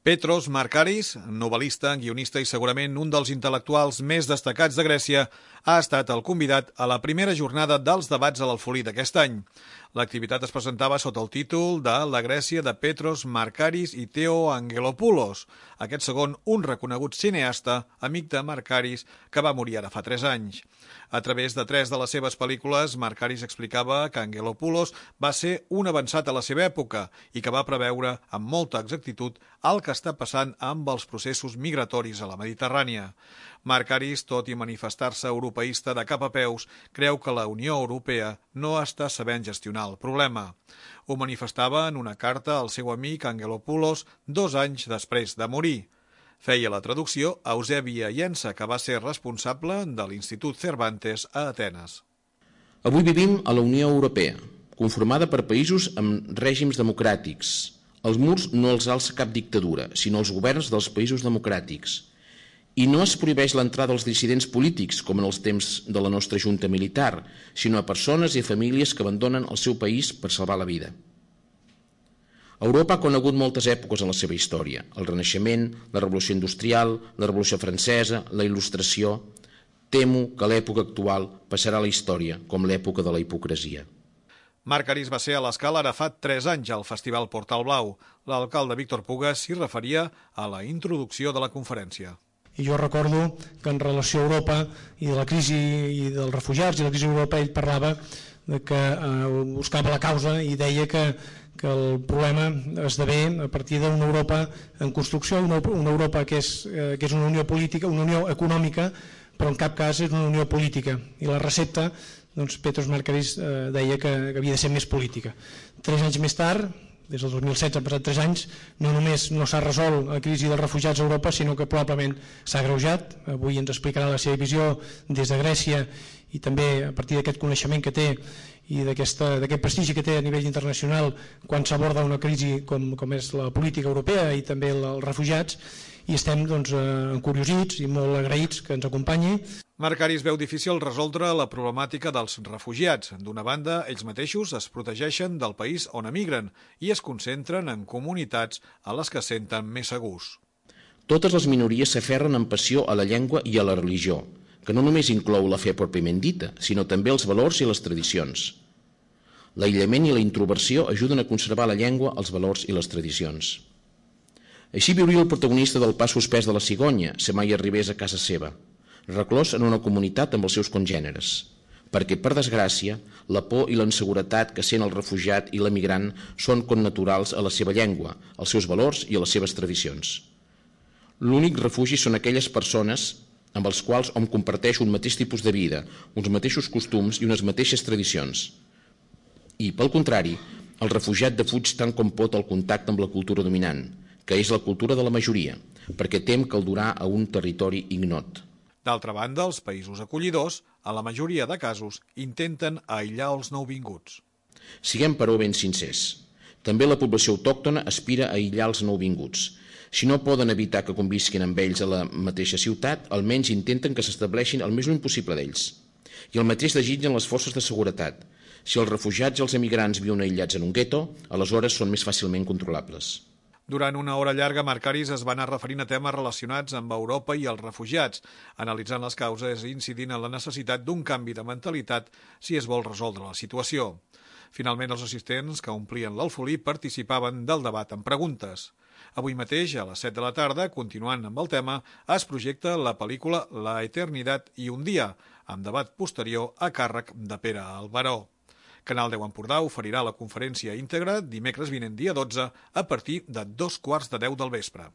Petros Markaris, novel·lista, guionista i segurament un dels intel·lectuals més destacats de Grècia, ha estat el convidat a la primera jornada dels debats a l'Alfolí d'aquest any. L'activitat es presentava sota el títol de La Grècia de Petros Markaris i Theo Angelopoulos, aquest segon un reconegut cineasta, amic de Markaris, que va morir ara fa 3 anys. A través de 3 de les seves pel·lícules, Markaris explicava que Angelopoulos va ser un avançat a la seva època i que va preveure amb molta exactitud el que està passant amb els processos migratoris a la Mediterrània. Markaris, tot i manifestar-se europeista de cap a peus, creu que la Unió Europea no està sabent gestionar el problema. Ho manifestava en una carta al seu amic Angelopoulos 2 anys després de morir. Feia la traducció a Eusebia Llensa, que va ser responsable de l'Institut Cervantes a Atenes. Avui vivim a la Unió Europea, conformada per països amb règims democràtics. Els murs no els alça cap dictadura, sinó els governs dels països democràtics. I no es prohibeix l'entrada als dissidents polítics, com en els temps de la nostra junta militar, sinó a persones i a famílies que abandonen el seu país per salvar la vida. Europa ha conegut moltes èpoques en la seva història: el Renaixement, la Revolució Industrial, la Revolució Francesa, la Il·lustració. Temo que l'època actual passarà a la història com l'època de la hipocresia. Markaris va ser a l'Escala ara fa 3 anys al Festival Portal Blau. L'alcalde Víctor Puga s'hi referia a la introducció de la conferència. I jo recordo que en relació a Europa i de la crisi i dels refugiats i la crisi a Europa, ell parlava de que buscava la causa i deia que el problema esdevé a partir d'una Europa en construcció, una Europa que és una unió política, una unió econòmica, però en cap cas és una unió política. I la recepta, doncs, Petros Markaris deia que havia de ser més política. 3 anys més tard, des del 2016 han passat 3 anys, no només no s'ha resolt la crisi dels refugiats a Europa, sinó que probablement s'ha agreujat. Avui ens explicarà la seva visió des de Grècia i també a partir d'aquest coneixement que té i d'aquest prestigi que té a nivell internacional quan s'aborda una crisi com és la política europea i també els refugiats, i estem encuriosits i molt agraïts que ens acompanyi. Markaris veu difícil resoldre la problemàtica dels refugiats. D'una banda, ells mateixos es protegeixen del país on emigren i es concentren en comunitats a les que senten més segurs. Totes les minories s'aferren amb passió a la llengua i a la religió, que no només inclou la fe pròpiament dita, sinó també els valors i les tradicions. L'aïllament i la introversió ajuden a conservar la llengua, els valors i les tradicions. Així viuria el protagonista del Pas suspès de la cigonya, si mai arribés a casa seva, reclòs en una comunitat amb els seus congèneres, perquè, per desgràcia, la por i la inseguretat que sent el refugiat i l'emigrant són connaturals a la seva llengua, als seus valors i a les seves tradicions. L'únic refugi són aquelles persones amb els quals hom comparteix un mateix tipus de vida, uns mateixos costums i unes mateixes tradicions. I, pel contrari, el refugiat defuig tant com pot el contacte amb la cultura dominant, que és la cultura de la majoria, perquè tem que el durà a un territori ignot. D'altra banda, els països acollidors, a la majoria de casos, intenten aïllar els nouvinguts. Siguem, però, ben sincers. També la població autòctona aspira a aïllar els nouvinguts. Si no poden evitar que convisquin amb ells a la mateixa ciutat, almenys intenten que s'estableixin el més lluny possible d'ells. I el mateix desitgen les forces de seguretat. Si els refugiats i els emigrants viuen aïllats en un gueto, aleshores són més fàcilment controlables. Durant una hora llarga, Markaris es va anar referint a temes relacionats amb Europa i els refugiats, analitzant les causes i incidint en la necessitat d'un canvi de mentalitat si es vol resoldre la situació. Finalment, els assistents que omplien l'Alfolí participaven del debat amb preguntes. Avui mateix, a les 7 de la tarda, continuant amb el tema, es projecta la pel·lícula La Eternidad i un dia, amb debat posterior a càrrec de Pere Albaró. Canal 10 Empordà oferirà la conferència íntegra dimecres vinent dia 12 a partir de 2:15 del vespre.